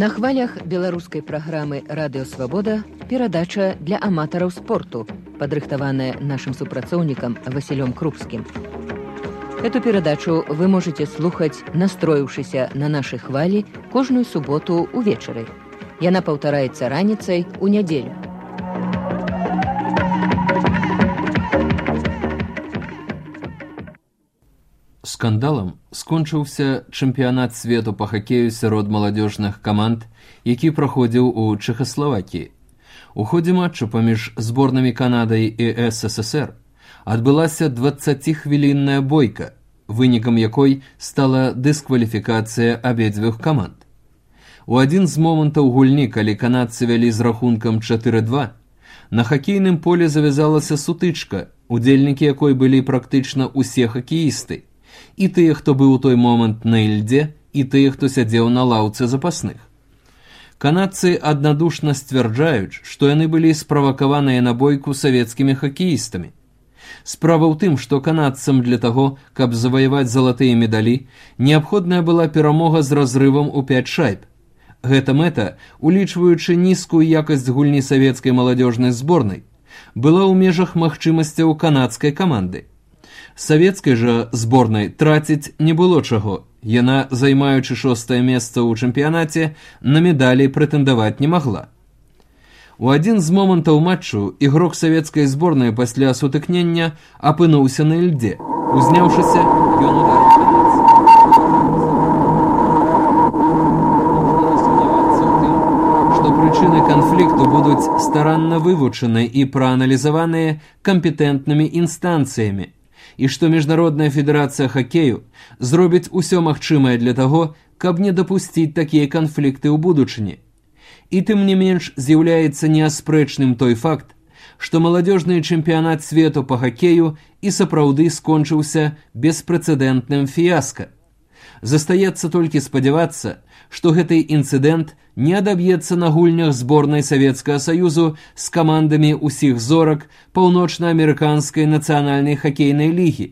На хвалях беларускай праграмы «Радыё Свабода» перадача для аматараў спорту, падрыхтаваная нашим супрацоўнікам Васілём Крупскім. Эту перадачу вы можете слухаць, настроіўшыся на нашы хвалі кожную суботу увечары. Яна паўтараецца раніцай у нядзелю. Скандалам скончыўся чэмпіянат свету па хакею сярод маладзёжных каманд, які праходзіў у Чэхаславакіі. У ходзе матчу паміж зборнымі Канадай і СССР адбылася 20-хвілінная бойка, вынікам якой стала дыскваліфікацыя абедзвюх каманд. У адзін з момантаў гульні, калі канадцы вялі з рахункам 4-2, на хакейным поле завязалася сутычка, удзельнікі якой былі практычна ўсе хакеісты, і тыя, хто быў у той момант на ільдзе, і тыя, хто сядзеў на лаўцы запасных. Канадцы аднадушна сцвярджаюць, што яны былі справакаваныя на бойку савецкімі хакеістамі. Справа ў тым, што канадцам для таго, каб заваяваць залатыя медалі, неабходная была перамога з разрывам у 5 шайб. Гэта мэта, улічваючы нізкую якасць гульні савецкай маладзёжнай зборнай, была ў межах магчымасцяў канадскай каманды. Савецкай жа зборнай траціць не было чаго. Яна, займаючы 6-е месца ў чэмпіянаце, на медалі прэтэндаваць не магла. У адзін з момантаў матчу ігрок савецкай зборнай пасля сутыкнення апынуўся на ільдзе. Узняўшыся, ён ударыў канадца. Што прычыны канфлікту будуць старанна вывучаны і прааналізаваныя кампетэнтнымі інстанцыямі, і што Міжнародная федэрацыя хакею зробіць усё магчымае для таго, каб не дапусціць такія канфлікты ў будучыні. І тым не менш з'яўляецца неаспрэчным той факт, што маладзёжны чэмпіянат свету па хакею і сапраўды скончыўся беспрэцэдэнтным фіяска. Застаецца толькі спадзявацца, што гэты інцыдэнт не адаб'ецца на гульнях зборнай Савецкага Саюзу з камандамі ўсіх зорак паўночна-амерыканскай нацыянальнай хакейнай лігі,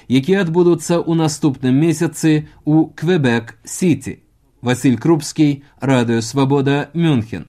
якія адбудуцца ў наступным месяцы ў Квебек-Сіці. Васіль Крупскі, Радыё Свабода, Мюнхен.